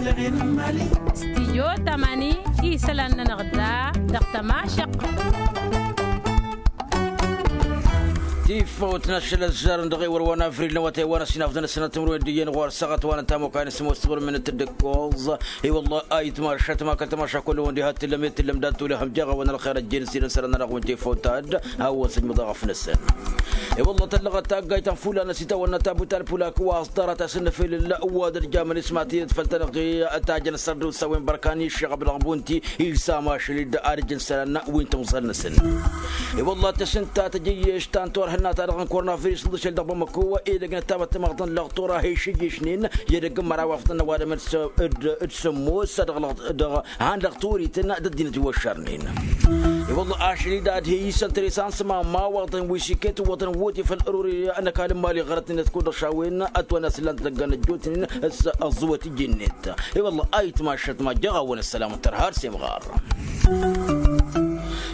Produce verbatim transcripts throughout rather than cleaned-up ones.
Stijyo tamani isălan-nănăɣ da dăɣ-tămašăq. Tifawt n-ašăl ăzzarăn dăɣ-ewăr wa n-avril n-awătay wa n-ăsinafḍăn ăssinat timǝrwen d-iyyăn ɣur-săɣăt wa n-ătamokay n-sămoos timǝrwen n-tǝddǝkkoẓ. I-wălla ayǝtmašat ma kăl-tămaša kull-wăn diha t-tǝllăm i-tǝllăm dat-tolehăm jaɣ-awăn ălxer ăjjeen s-idăn sărăn-nănăɣ wi n-tifawt ad-hawăn-sǝjmǝḍ aɣăf-năsăn. I-wălla tăllăɣăt taggayt ta n-fulan ăsitawănna tabut alpulak wa ăẓḍarăt asǝnnăfel wa d-ărjamăn ismatiyăt făll-tănăɣ tajăn sărdusa wi n-bărkan iššăɣăb dăɣ-bunti. Ilsam ašăl-dd ad-ǝjǝn isălan wi n-timẓal-năsăn. I-wălla tăsǝnta tăjǝyyeš ta n-turhǝnna-ta-dăɣ n-kornavirus n-dăšel dăɣ-bamăko edăgg n-ăttamăttămaḍăn lăɣ tura ha išǝjješnen i-edăgg n-măraw afḍăn n-ăwadǝm d-sămmos dăɣ-han lăɣ turităn d-ăddinăt wi wăššărnen. I-wălla ašăl-dd ad-he-isăn tăre s-ansăma mawăḍăn wi s-iket wăḍăn wăte făll-ărori n-ăkall n-imali ɣărăt-net kud-ăšawen ătwănna s-ǝllan tădăggan ăjjootnen. S-ăẓẓuwăt iji-net. I-wălla ayǝtmašat ma jăɣ-awăn ăssălam n-tărha ar s-imɣar.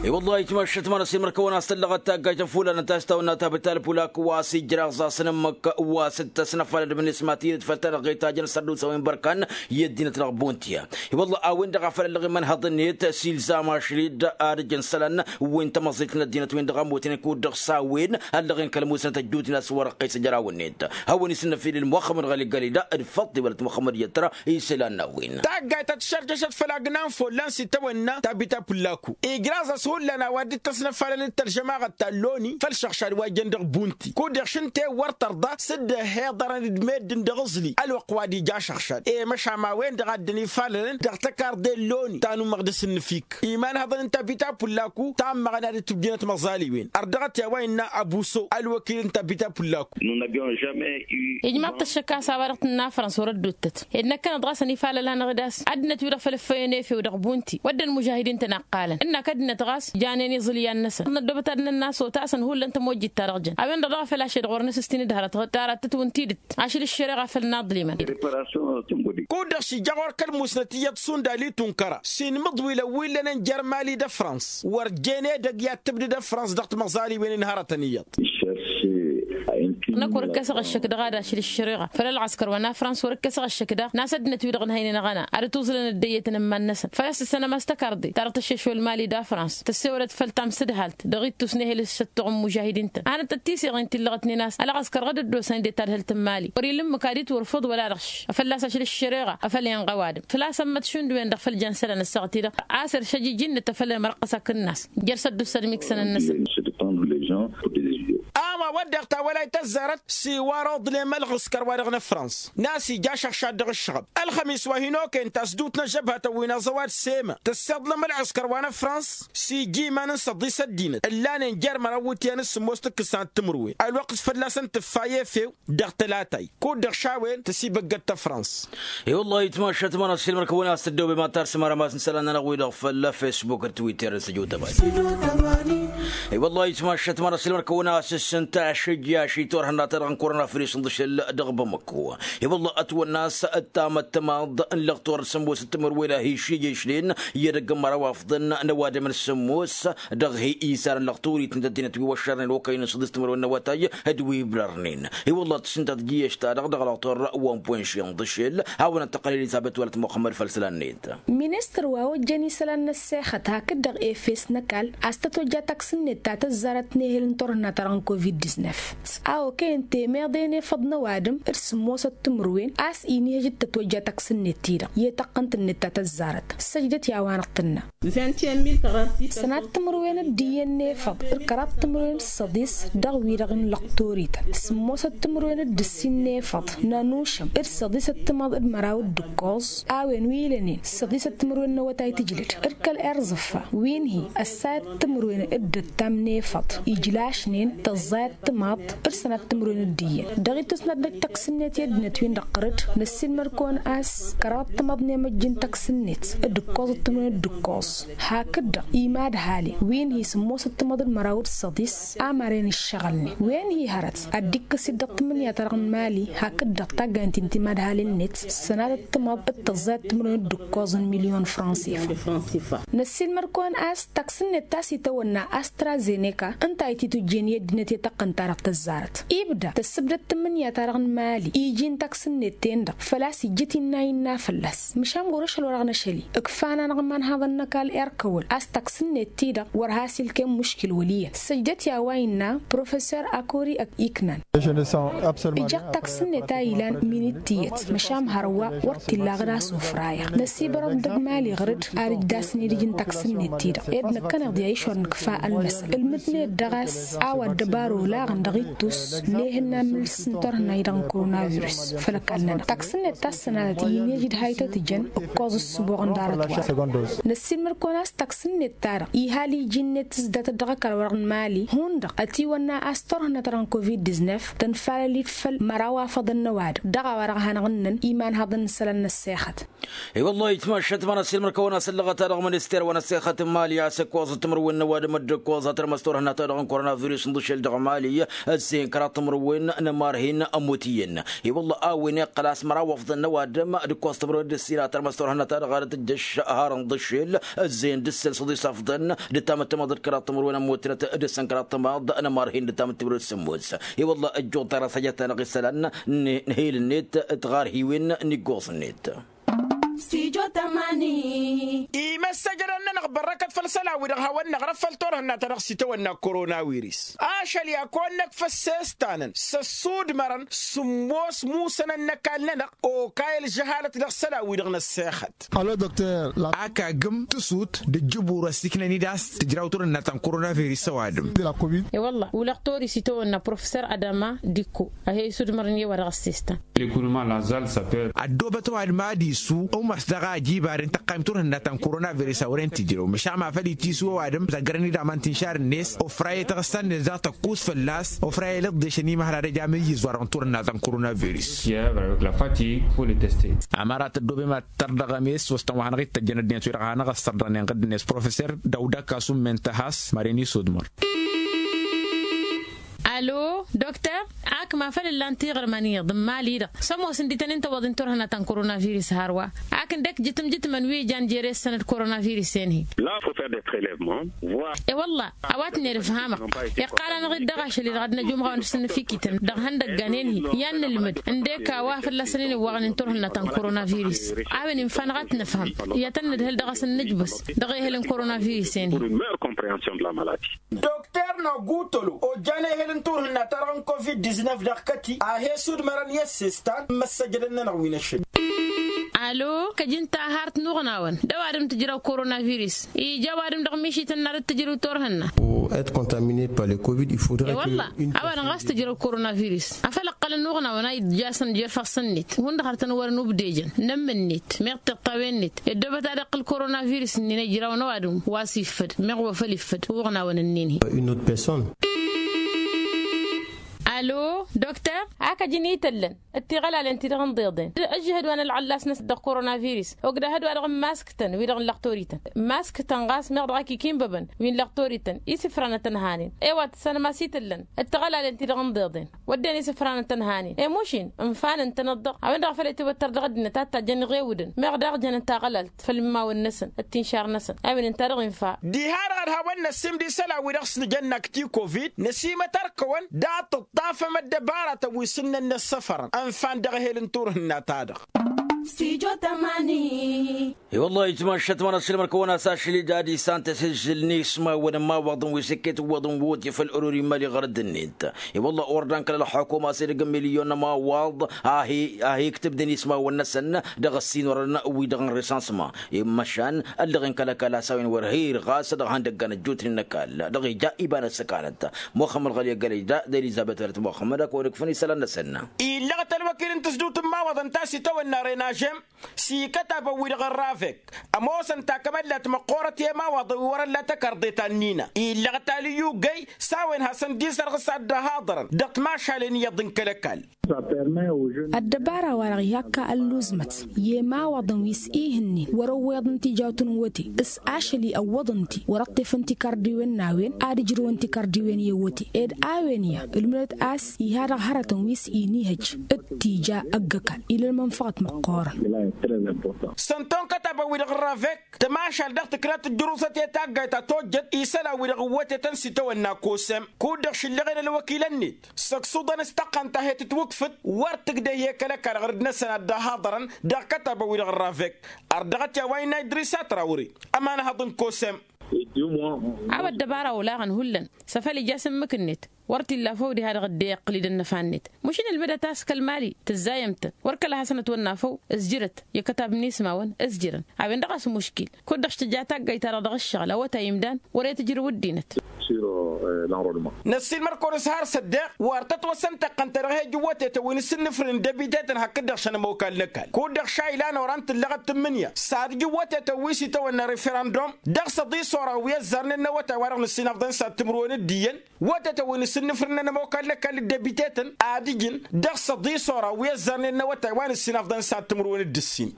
I-wălla ayǝtmašat ma n-ăsimărkăwăn a-s tăllăɣăt taggajt n-fulan n-tastawănna tabǝt alpulak wa s-ijraẓ-asăn ǝmmǝk wa s-dd-tăsnăfalăd mǝnǝsmatiyăt făll-tanăɣ-i tajăn sărdusăwen bărkan i-ăddinăt dăɣ-buntiya. I-wălla a-wen-dăɣ a făl ăllăɣ imănhăḍ-net s-ilzam ašăl-dd ad-ǝjăn isălan wi n-tamăẓẓit n-ăddinăt-wen-dăɣ ămmutnen kud-dăɣ s-a-wen ăllăɣen kăl-musnăt ăjjootnen a-s wăr-ăqqes ăjraw-net. Hawăn-isǝnnăfilǝl muxămmăd ɣăli gălida d-făḍt iwălăt muxămmăd i-ătra isălan n-a-wen. Taggayt ta tǝššărjăšăt făll-agna n-follan s-itawănna tabita pullaku ijraẓ-as hullan a-wa dd-tăsnăfalăn d-tălžămaɣăt ta n-loni făll-išăɣšad wa jăn dăɣ-bunti kud-dăɣ šǝnte wăr tărḍa s-dd-ăhhiḍărăn d-meddǝn dăɣ-aẓli ălwăqq wa d-ija ašăɣšad i-măšan a-wen-dăɣ a dd-ănifalălăn dăɣ-tăkarḍe n-loni ta n-umăɣdǝs n-inǝfik. Iman hăḍăn n-tabita pullaku ta n-măɣna d-tǝbjǝnăt măẓaliwen ărdăɣăt i-a-wa innă abuso ălwăkil n-tabita pullaku. Ijmaḍ-t ăššăk a-s a-wa dăɣ-tǝnna frăns wăr-ădduuttăt ed năkkăneḍ ɣas ănifalăl-anăɣ d-a-s ăddinăt-wi-dăɣ făl ǝffăyăn efew dăɣ-bunti wădden mužahidin-tăn a ǝqqalăn ǝnnak ăddinăt ɣas janen iẓǝlyan-năsăn ănnăddobăt ad-nănn-asăwt a-s ănhullăn tămojjit-ta-dăɣ jăn a-wen-dăɣ daɣ a făl ašăl-dăɣ wăr nǝsǝstin d-hărăt tarattăt wi n-tidǝt ašăl ǝššăreɣa făll-inaḍlimăn. Kud-dăɣ s-ija ɣur-kăl-musnăt iyyăḍ sundal itunkăra s-inmǝḍwilăn wi ǝllănen jer-mali d-ăfrans wăr jen edăgg i-ad-tǝbdǝd ăfrans dăɣ-timăẓaliwen n-hărătăn iyyăḍ. Năkk wăr-ǝkkăsăɣ ăššăk daɣ ad-ašăl ǝššăreɣa făll-ălɣăskăr wa n-afrans wăr-ǝkkăsăɣ ăššăk daɣ n-a-s ăddinăt-wi-dăɣ ǝnhăynen ăɣăna ad-ătuẓǝlăn ăddăyyăt n-ǝmman-năsăn făl-a-s tǝssănăm a-s tăkarḍe ta dăɣ-tăššešwăl mali d-afrans tăssewălăt făll-tamsǝdhalt dăɣ-ittus n-ehel s-săttuɣ n-mužahidin-tăn hanăt-tăt-tiseɣen ti ǝllăɣătnen a-s ălɣăskăr ɣǝd ăddoosăn dd-tadhǝlt n-mali wăr-ila ǝmmǝk ad-itwărfăḍ wăla dăɣ-š afăl a-s ašăl ǝššăreɣa a făl inɣăw adǝm făl-a-s ămmăt šund-wen-dăɣ făll-jăn isălan ăssaɣăt-i-dăɣ a-s ăršăj iji-net a făl ămărqqăs akǝnnas jer-săddussăn imiksănăn-năsăn. A-wa wădden ta wălay tăzzarăt s-iwar oḍlem ălɣǝskăr-wa-dăɣ n-ăfrans n-a-s ija ašăɣšad dăɣ-ǝššăɣăb ălxămis wa hin-okăyăn tasdut n-ăžžăbhătăn wi n-aẓăwad s-ema tăssiḍlăm ălɣǝskăr wa n-ăfrans s-ija iman n-săḍis ăddinăt ǝllanen jer-măraw iwǝtyan d-sǝmmos tǝkkǝs sanăt timǝrwen ălwăqq fălla-săn tǝffay efew dăɣ-tălatay kud-dăɣ šawen tăsibăggăd tăfrans. I-wăllah itmašat ma n-assilmăr-kăwăn a-s tăddobem ad-tarsǝm arămas n-isălan-nănăɣ-wi-dăɣ făll-fesbuk d-twitter d-săju tăbani. I-wăllah itmašat ma n-assilmăr-kăwăn a-s ǝssǝnta ašǝjjaš i-turhǝnna-ta-dăɣ n-korona firis n-dăšel dăɣ-bamăko. I-wăllah ătwănna a-s ăttamăttămaḍ n-lăɣtur d-sămmos d-timǝrwen a hi-išiješnen i-edăgg n-măraw afḍăn n-ăwadǝm n-sămmos dăɣ-hi-isarăn lăɣturit n-tăddinăt wi wăššărnen okăyăn n-săḍis timǝrwen n-awătay d-wi ibrărnen. I-wăllah tǝssǝnta tǝjjǝyyeš-ta-dăɣ dăɣ-lăɣtur wa n-pwănši n-dăšel hawăn-ăttăqqăl elizăbet wăla t-muxămmăd făll-isălan-net. Ministăr wa ojjăn isălan n-ăssexăt hakd-dăɣ efes n-ăkall a-s tăt-ojja taksǝn-net ta tăzzarăt n-ehel n-turhǝnna-ta-dăɣ n-covid-disnef a okăyăn temeḍe n-efăḍ n-ăwadǝm d-sǝmmosăt timǝrwen a-s inihăj d-tăt-ojja taksǝn-net-ti-dăɣ i-tăqqǝnt-net ta tăzzarăt săjdăt i-a-wa năɣ-tǝnna. Sănat timǝrwen d-iyyăn n-efăḍ d-kăraḍ timǝrwen d-săḍis dăɣ-wi-dăɣ n-lăqtorităn sǝmmosăt timǝrwen d-ǝssin n-efăḍ n-anušăm d-săḍisăt timaḍ d-măraw d-ǝkkoẓ a-wen wi ilănen săḍisăt timǝrwen n-awătay tǝjlăd d-kăl-erẓǝffa wi n-hi ăssayăt timǝrwen d-ǝttam n-efăḍ ijlašnen tăẓẓayăt timaḍ d-sănat timǝrwen d-iyyăn dăɣ-ittus n-ad-năj taksǝn-net i-ăddinăt-win-dăɣ ɣărăt năssiilmăr-kăwăn a-s kăraḍăt timaḍ n-emăjj n-taksǝn-net d-ǝkkoẓăt timǝrwen d-ǝkkoẓ hakd-dăɣ imadhalen wi n-hi sǝmmosăt timaḍ d-măraw d-săḍis amaren ǝššăɣǝlnen wen-hi hărăt ad-dd-ikkǝs-dd dăɣ-tǝmmǝnǝya-ta-dăɣ n-mali hakd-dăɣ taggaynt-in timadhalen-net sănatăt timaḍ d-tăẓẓayăt timǝrwen d-ǝkkoẓ n-milyon fransifa. Năssiilmăr-kăwăn a-s taksǝn-net ta s-itawănna astrazeneka ǝnta a ititujjen i-ăddinăt i-taɣ Ăqqăn-ta-dăɣ tăzzarăt ibda tăssǝbdăt tǝmmǝnǝya-ta-dăɣ n-imali iji n-taksǝnnet-ten-dăɣ făl-a-s ijjǝt innă innă fălla-s. Măšan ɣur-ašăl-wa-dăɣ n-ašăl-i ǝkfan-anăɣ imanhaḍăn n-ăkall irkăwăl a-s taksǝnnet-ti-dăɣ wăr has-ilkem muškil wăl' iyyăn săjdăt i-a-wa innă professor akori iknan. Ǝjăɣ taksǝnnet a ilan min-dd-tiyyăt măšan hărwa wăr t-illa aɣǝd a-s ofrayăɣ năsibărăḍ dăgg-imali ɣǝr-dd ad-ǝjdasăn idǝj n-taksǝnnet-ti-dăɣ ed năkkăneḍ i-ad-išwăr nǝkfa ălmăsăn ǝlmǝdnet dăɣ-a-s a-wa dd-ăbaro laɣăn dăɣ-ittus n-ehǝnna n-imǝlǝs n-turhǝnna-i-dăɣ n-koronavirus. Făll-ăkall-nănăɣ taksǝnnet ta s-sănadăt i-inǝj d-haytăt jăn ǝkkoẓ ǝssǝboɣăn ḍarăt-wa-dăɣ. Năssiilmăd-kăwăn a-s taksǝnnet-ta-dăɣ ihal iji-net tǝzdatăt dăɣ-ăkall-wa-dăɣ n-imali hundăɣ ătiwănna a-s turhǝnna-ta-dăɣ n-covid-disnef tănfalăl-dd făll-măraw afăḍăn n-ăwadǝm dăɣ-a-wa-dăɣ hanăɣ-ǝnnăn imanhăḍăn n-isălan n-ăssexăt. I-wăllah itmašat ma n-asilmăr kăwăn-asăllăɣăt-a-dăɣ minister wa n-ăssexăt n-imali a-s ǝkkoẓăt timǝrwen n-ăwadǝm dd-ǝkkoẓ a tărmăs turhǝnna-ta-dăɣ n-koronavirus n-iḍǝšel dăɣ-imali. Ăzzeyăn kăraḍ timǝrwen n-ămarhin ămmut iyyăn. I-wăllah a-wen iqqăl a-s măraw afḍăn n-ăwadǝm d-ǝkkoẓ timǝrwen d-ǝssin a tărmăs turhǝnna-ta-dăɣ ad-tǝjjăš har n-iḍǝšel ăzzeyăn d-ǝssǝl s-aḍis afḍăn d-tamǝttămaḍ d-kăraḍ timǝrwen ămmutnăt d-ǝssǝn kăraḍ tămaḍ n-ămarhin d-tamǝttămaḍ d-sǝmmos. I-wăllah ăjjuḍ-t-ar asăjăt-anăɣ isălan n-hel-net d-tiɣarhiwen n-iggoẓ-net. Imăssăjădăn-nănăɣ bărrăkăt făll-isălan-wi-dăɣ hawăn-năɣrăf făll-turhǝnna-ta-dăɣ s-itawănna koronawiris. Ašăl i-ad-kăwăn-năkf ăssestan-năn s-ăssudmărăn sǝmmos musănăn n-ăkall-nănăɣ okay ălžăhalăt dăɣ-isălan-wi-dăɣ n-ăssexăt. Ak agǝm tǝsut d-ǝjjǝbur ăssiiknăn-dd a-s tǝjraw turhǝnna ta n-koronavirus ăwadǝm. I-wălla ulăɣ tori s-itawănna professor adama dikko a he-isudmărăn i-ăwadǝm ăssestan. Ăddoobăt ăwadǝm ad-isu ăwmas daɣ a ăjibaren tăqqayǝm turhǝnna ta n-koronavirus a wăren tǝjrăw măšan ma făl itisu ăwadǝm zăggărăn-dd aman tinšar-net ofra i-taɣǝssa-net daɣ tăkkus fălla-s ofra i-lăḍḍešăn imăhra d-ăj amǝyyǝz wa-dăɣ n-turhǝnna ta n-koronavirus. Amărat ăddoobem ad-tărdăɣăm i-s wăstăn wa hanăɣ-ittăjjăn ăddinăt wi-dăɣ hanăɣ-ăssărḍăɣnen iɣǝd-net professor dăwda kasu n-men tăhas maren isudmăr. Alo dokter, ak ma făl ǝllan tiɣărman iyyăḍ n-imali-dăɣ s-ămoosăn d-itănen tăwwăḍ n-turhǝnna ta n-koronavirus hărwa ak ǝndek jǝtǝm jǝtǝmăn wi ǝjan jere ǝssănăd koronavirus-en-hi. E-wălla a-wa tǝnned ǝfhamăɣ iqqal-anăɣ-dd dăɣ-ašăl-i-dăɣ ad-năj umɣawăn s-ǝnnǝfikităn dăɣ-ihăndăggan-en-hi i-ad-nǝlmǝd ǝndek a-wa fălla-săn ănǝwwaɣnen turhǝnna ta n-koronavirus. A-wen infa-năɣ a t-nǝfhăm i-ad-tăn-nǝdhǝl dăɣ-s ǝnnǝjbǝs dăɣ-ehăl n-koronavirus-en-hi. Dokter nogutolo ojjan ehăl n-turhǝnna-ta-dăɣ n-covid-diznăf dăɣ-kăti a he-sudmărăn i-ăssestan n-imăssăjădăn-nănăɣ wi n-ašăl. Alo kăj-ǝnta a har t-nuɣnawăn d-ăwadǝm tǝjrăw koronavirus ija ăwadǝm dăɣ-mišităn n-ad-dd-tǝjrǝw turhǝnna. E-wălla a-wa-dăɣ ɣas tǝjrăw koronavirus afăl ǝqqălăn nuɣnawăn a iḍjasăn jer-ifassăn-net hundăɣ har tăn-wărăn ubdejăn n-ămm-net meɣ tiṭṭawen-net ăddoobăt ad-iqqǝl koronavirus-nin ijrawăn ăwadǝm wa s-iffăd meɣ wa făl iffăd uɣnawăn-nin-hi. Alo dokter, ak ăj inităllăn d-tiɣălalen-ti-dăɣ n-iḍeḍen ăžžǝhăd wa n-ălɣăllas-năsăn dăɣ-koronavirus ogdăhăd wa-dăɣ n-imasktăn wi-dăɣ n-lăɣtorităn imasktăn ɣas meɣ dăɣ-ak ikinbăbăn wi n-lăɣtorităn isǝfranăt ănhanen. E-wa tǝssanăm a-s itǝllăn d-tiɣălalen-ti-dăɣ n-iḍeḍen wădden isǝfranăt ănhanen i-mušin ǝnfanăn-tănăt-dăɣ a-wen-dăɣ a făl itǝwăttăr dăɣ-ăddinăt ad-tajjăn iɣewǝdăn meɣ daɣ jănăn taɣălalt făll-imawăn-năsăn d-tinšar-năsăn. A-wen ǝnta-dăɣ infa. Diha-dăɣ ad-hawăn-năssim d-isălan-wi-dăɣ s-nǝjănna akti covid năsimăt ărkăwăn dat-ǝṭṭafăm ăddăbaratăn wi s-ǝnnăn năssăfărăn ănfan dăɣ-ehel n-turhǝnna-ta-dăɣ. I-wăllah itmašat ma n-asǝlmăr kăwăn-as ašli d-ad-isan tăsǝzzǝl n-ismawăn n-imawaḍăn wi s-iket ǝwwăḍăn woti făll-ăruri n-imali ɣărăd-net. I-wăllah ordan kăl-ălxukuma s-edăgg n-milyon n-imawaḍ a hi-iktǝbdăn ismawăn-năsăn dăɣ-ăssinorăn wi-dăɣ n-resansma. Immăšan ăllăɣen kăl-ăkall a-s a-wen wăr hir ɣas dăɣ-ihăndăggan ăjjootnen n-ăkall dăɣ-ija iba n-ăssăkanăt. Muxămmăd ɣăli ăggălăj da d-elizăbet wăr t-muxămmăd ad-kăwăn-ikfăn isălan-năsăn. Illăɣ talwăkil n-tǝzdǝwt n-imawaḍăn ta s-itawănna renažem s-ikătabăn-wi-dăɣ ărravek ămoosăn takămăllat măqqoorăt i-imawaḍăn wi wăr-ălla takărḍe ta n-inina. Illăɣ talǝyyugăy s-a-wen hasăn-dd-isărɣǝs ad-dd-ăhaḍărăn dăɣ-timašalen iyyăḍ n-kăl-ăkall. Ăddăbara-wa-dăɣ ihakka ălluẓmăt i-imawaḍăn wi s-ihǝnnen wăr-ăwweḍăn tijawt n-iwăte s-ašăl i-ăwwăḍăn-ti wăr-ăṭṭefăn tikărdiwen n-a-wen ad-ǝjrǝwăn tikărdiwen i-iwăte ed a-wen iyyă ǝlmǝdăt a-s iha dăɣ-hărătăn wi s-inihăj d-tija ăgg-ăkall. Ilăl mănfăɣăt măqqoorăt. Sănton kătabăn-wi-dăɣ n-ravek tămašal dăɣ-tǝknat tǝjjǝruẓăt i-taggayt ta tojjăt isălan-wi-dăɣ ǝwwătetăn s-itawănna kosem kud-dăɣ šǝllăɣen ălwăkilăn-net săksuḍăn s-tăqqăn ta he-tǝtwǝkfǝt wăr tǝgdeh i-kăl-ăkall ɣǝrǝd-năsăn ad-dd-ăhaḍărăn dăɣ-kătabăn-wi-dăɣ n-ravek. Ărdăɣăt i-a-wa innă idrisa trawre ămanhăḍ n-kosem. A-wa ăddăbara olaɣăn hullan s-afăl ija s-ǝmmǝk-net wăr t-illa făw diha-dăɣ dd-e-iqqǝl-dd ănnăfa-net. Măšin ǝlmǝdăt a-s kăl-mali tǝzzayăm-tăn wăr kăla hasăn-ătwănna făw ǝzjǝrăt i-kătab n-ismawăn ǝzjǝrăn. A-wen-dăɣ a-s muškil kud-dăɣ s-tǝja taggayt-ta-dăɣ dăɣ-ǝššăɣǝl a-wa ta imdan wăr-e tǝjrǝw ăddinăt. Năssiilmăr-kăwăn s-har s-ăddeɣ wăr tătwăsăn taqqăn-ta-dăɣ he-ǝjǝwwătetăn wi n-asǝnnǝfrǝn n-debiteten hakd-dăɣ šăn ămokal n-ăkall kud-dăɣ šaylan oran tǝllăɣăt tǝmmǝnǝya s-ad-ǝjǝwwătetăn wi s-itawănna referăndum dăɣ-săḍi s-oraw wi ăzzarnen n-awătay wa dăɣ-nǝssinafḍăn s-ad-timǝrwen d-iyyăn. Wătetăn wi n-asǝnnǝfrǝn n-ămokal n-ăkall d-debiteten ad-ǝjǝn dăɣ-săḍi s-oraw wi ăzzarnen n-awătay wa nǝssinafḍăn s-ad-timǝrwen d-ǝssin.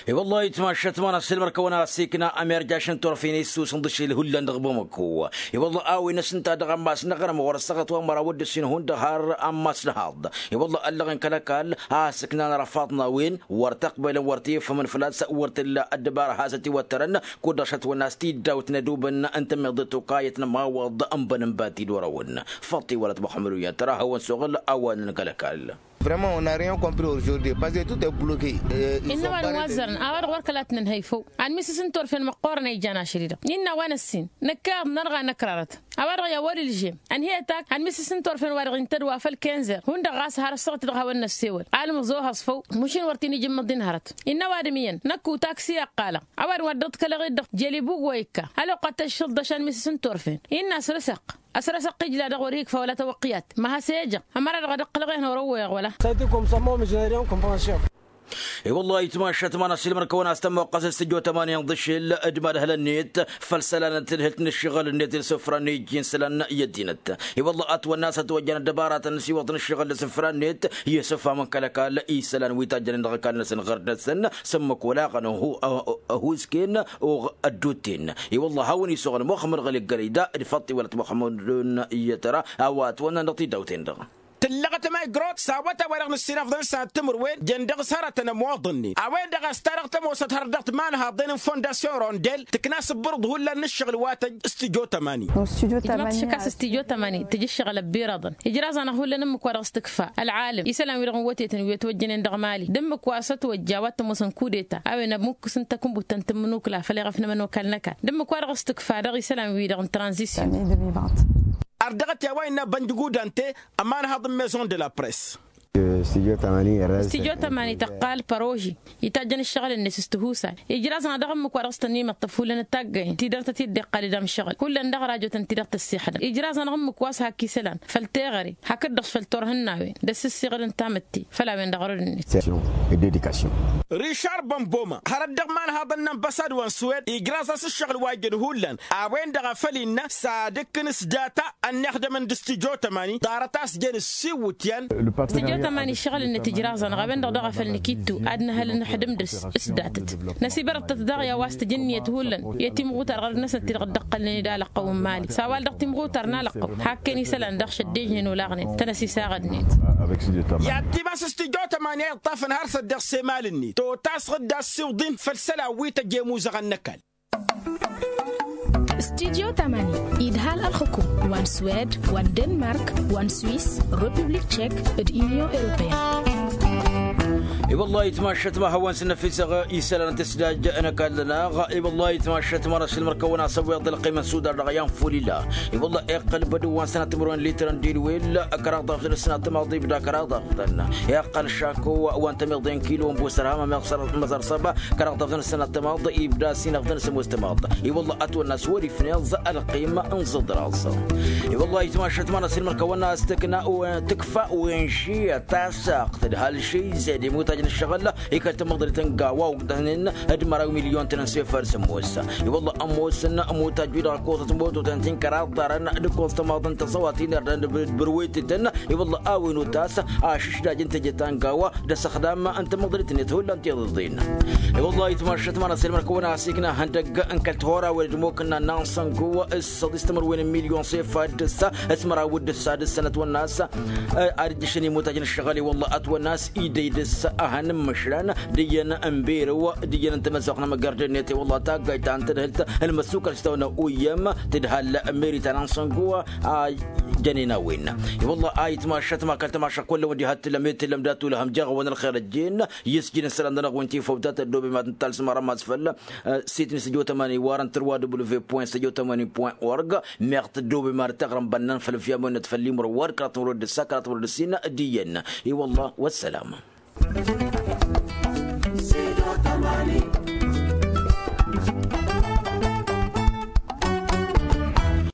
I-wăllah itmašat ma n-asǝlmăr-kăwăn-as ikna ămerjaš n-turfen issusǝn d-ašil hullan dăɣ-bamăko. I-wăllah a-wen ăsnǝnta dăɣ-ammas n-aɣrǝm ɣur-ăssaɣăt wa n-măraw d-ǝssin hundăɣ har ammas n-ahaḍ. I-wăllah ăllăɣen kăl-ăkall a-s ǝknan răfaḍ n-a-wen wăr t-ăqbălăn wăr t-efhămăn făl-a-s wăr t-illa ăddăbara hasăt-iwăttărăn. Kud-dăɣ šătwănna a-s t-dd-awǝtnădubăn n-tămmiḍăt okayăt n-ămawăḍ n-băn n-bati d-orăwăn. Făṭṭi wălăt muḥămmăd uyyăn tăra hawăn-suɣǝl a-wa n-kăl-ăkall. Vraiment on a rien compris aujourd'hui parce que tout est bloqué. Innă wa n-wa ăzzărăn a-wa-dăɣ wăr kăla t-nǝnhăy făw. Anmisǝs n-turfen măqqoorăn a ijan ašăl-i-dăɣ innă a-wa n-ăssin năkkaḍ nărɣa năkrarăt. A-wa-dăɣ i-a wăr-ilžem ănhăyăt ak anmisǝs n-turfen wa-dăɣ intădd wa făll-kenzer hundăɣ ɣas har ăssaɣăt-i-dăɣ hawăn-năssewăl. Almǝẓ ohăẓ făw. Măšin wăr t-in-ijǝmmăḍ-in hărăt. Innă ăwadǝm iyyăn năkk utaksi iqqalăɣ. Ăwadǝm wa dd-ăḍkălăɣ-dd dăɣ-jelibug wa ikka ăloqqa tăššǝḍ dăɣ-šanmisǝs n-turfen innă asrăsăɣ. Asrăsăɣ ijla dăɣ-wăr-hi ikfa wăla tawăqqiyat. Ma has-e-ejăɣ ămăra-dăɣ ad-ǝqqǝlăɣ-en hărăwwăyăɣ wăla. I-wăllah itmašat ma n-asilmăn kăwăn-as tămmoqqăs s-tijot ămani n-dăšel d-madhăl-net făll-isălan n-tǝdhǝlt n-ǝššăɣǝl-net d-isǝfra n-iji n-isălan i-ăddinăt. I-wăllah ătwănna a-s ătwăjjăn ăddăbaratăn s-iwăḍăn ǝššăɣǝl d-isǝfra-net i-isǝfamăn kăl-ăkall isălan wi tajjănen dăɣ-ăkall-năsăn ɣăr dăr-săn. S-ǝmmǝk olaɣăn. Ăhuusken oɣ ăddutten. I-wăllah a-wen isuɣǝl muxămmăd ɣăli ăggălăy da d-făṭṭ iwălăt muxămmăd. Iyyăt ăra a-wa ătwănna dăɣ-tidawten-dăɣ. Tǝllăɣăt ma igrot s-awătay wa dăɣ-nǝssinafḍăn s-ad-timǝrwen jăn dăɣ-s hărătăn ămoḍăn-net a-wen-dăɣ a-s ta dăɣ-tămoosăt hărăt dăɣ-timanhaḍen n-fondasyon rondel tǝkna s-ǝbbărǝḍ hullan n-ǝššăɣǝl wa tăj s-tijo tămani. Ijmăḍ šăkk a-s s-tijo tămani tǝj ǝššăɣǝl ăbbirăḍăn ijraẓ-anăɣ hullan ǝmmǝk wa dăɣ-s tǝkfa ălɣalăm isălan-wi-dăɣ n-wătetăn wi ătwăjjănen dăɣ-mali d-ǝmmǝk wa s-ătwăjja wa t-ămoosăn kudeta. A-wen ămmukkǝs n-takǝnbut ta n-tǝmmǝnukla făll-eɣăf n-ămănokal n-ăkall d-ǝmmǝk wa dăɣ-s tǝkfa dăɣ-isălan-wi-dăɣ n-tranzisyon. Ărdăɣăt i-a-wa innă bănjǝgudante ămanhaḍ n-maison de la press. Stijo tămani tăqqal păroži itajjăn ǝššăɣǝl-net s-tihusay. Ijraẓ-anăɣ dăɣ-ǝmmǝk wa dăɣ-s tăn-imăṭṭăf hullan d-taggăyăn ti dăr-tăt-dd-iqqal d-amšăɣǝl hullan dăɣ-rajotăn ti-dăɣ tăssixdăm ijraẓ-anăɣ ǝmmǝk wa s-hak isălan făll-teɣăre hakd-dăɣ s-făll-turhǝnnawen d-ăssǝssiɣǝd n-tamǝtte făll-a-wen-dăɣ ărăd-net. Rišar bănboma hărăt dăɣ-imanhaḍăn n-ănbăsad wa n-swed ijraẓ-as ǝššăɣǝl wa ijăn hullan. A-wen-dăɣ a făl innă s-ad-ǝkkǝn s-data ănnixdămăn d-stijo tămani ḍarăt a-s jăn ǝssiwǝtyan. Stijo tămani ǝššăɣǝl-net ijraẓ-anăɣ a-wen-dăɣ daɣ a făl nǝkittu ad-nǝhăl ǝnxǝdǝm dăr-s s-datăt. Năsibărăḍ-tăt daɣ i-a-wa s-tǝjǝnniyăt hullan i-timɣutar ɣărăd-năsăn ti-dăɣ dd-ăqqălnen d-alăqqăw n-mali s-a-wa-dăɣ timɣutar n-alăqqăw hakken isălan daɣ šăddejnen olaɣnen tăn-ăsisaɣădnen. I-ad-timas s-tijo tămani a iṭṭafăn har s-ăddeɣ s-emal-net totasăɣ-dd a ăssiwǝḍ-in făll-isălan wi tăj emuzăɣăn n-ăkall. Studyo tămani idhal ălxǝkum wa n-swed wa n-denmark wa n-swis, republik tšek, d-inyon europeyăn. I-wăllah itmašat ma hawăn-săn năfisăɣ isălan tǝsdaj n-ăkall-năɣ. I-wăllah itmašat ma n-asǝlmăr-kăwăn-asăwweḍ ălqim n-sudar dăɣ-i anfulila. I-wăllah iqqăl bădǝw wa n-sănat timǝrwen litr n-dilwel kăraḍ dăɣ-tăn sănat tămaḍ ibda kăraḍ dăɣ-tăn. Iqqăl šako wa n-tămiḍe n-kilo n-busărham ămeɣ măẓăr săba kăraḍ dăɣ-tăn sănat tămaḍ ibda sinăɣ tăn sămoos tămaḍ. I-wăllah ătwănna s-wăr-ifneẓ ălqim n-zǝḍraẓ. I-wăllah itmašat ma n-asǝlmăr kăwăn-as tǝkna tǝkfa wenši tasăɣt d-halšey zed imutaj n-ǝššăɣǝl. Ikăl tămăḍrit n-gawa ogdăhnen d-măraw milyon tăn-ănsefăr sămoos. I-wăllah ămoosăn ămutaj wi-dăɣ ăkoẓăt mototăn ti n-kăraḍ ḍarăn d-ǝkkoẓ tămaḍ n-tăẓăwat inărdăn d-bărwetităn. I-wăllah a-wen utas ašǝšdaj n-teje ta n-gawa d-asăxdam n-tamăḍrit-net hullan tiḍǝḍin. I-wăllah itmašat ma n-asǝlmăr kăwăn-as ikna ihăndăgg n-kăl-tihora wăr-dd-mokăn n-annan săngo s-săḍis timǝrwen n-milyon s-efad d-ǝssa s-măraw d-ǝssa d-ǝssănăt wănnas. Ad-ǝjjǝšăn imutaj n-ǝššăɣǝl i-wăllah ătwănnas idăy d-ǝssa. Hăn n-măšlan d-iyyăn n-berǝw d-iyyăn n-tamăzzuɣt n-amăggar d-ennet i-wălla taggayt ta n-tadhǝlt. Ălmăssukăl s-tawănna uyyăm tǝdhal meri ta n-ansăngu a jănen a-wen. I-wălla a itmašăt makal tamašăk wălla wăndi hattǝlăm i-tǝlăm dat-ulăhăm jeɣ-awăn ălxer ăjjeen. Isjin ǝssălan-dăɣ wi n-tifăwtat ăddoobem ad-nǝttalsǝm arămas făll-sitni săjo tămani warăn tărwa w point săjo tămani point org. Meɣ tăddoobem ad-tăɣrăm bănnan făll-ǝfyam wănnăt făll-imrăw wa d-kăraḍ timrăw d-ǝssa kăraḍ timrăw d-ǝssin d-iyyăn. I-wălla wăssalam.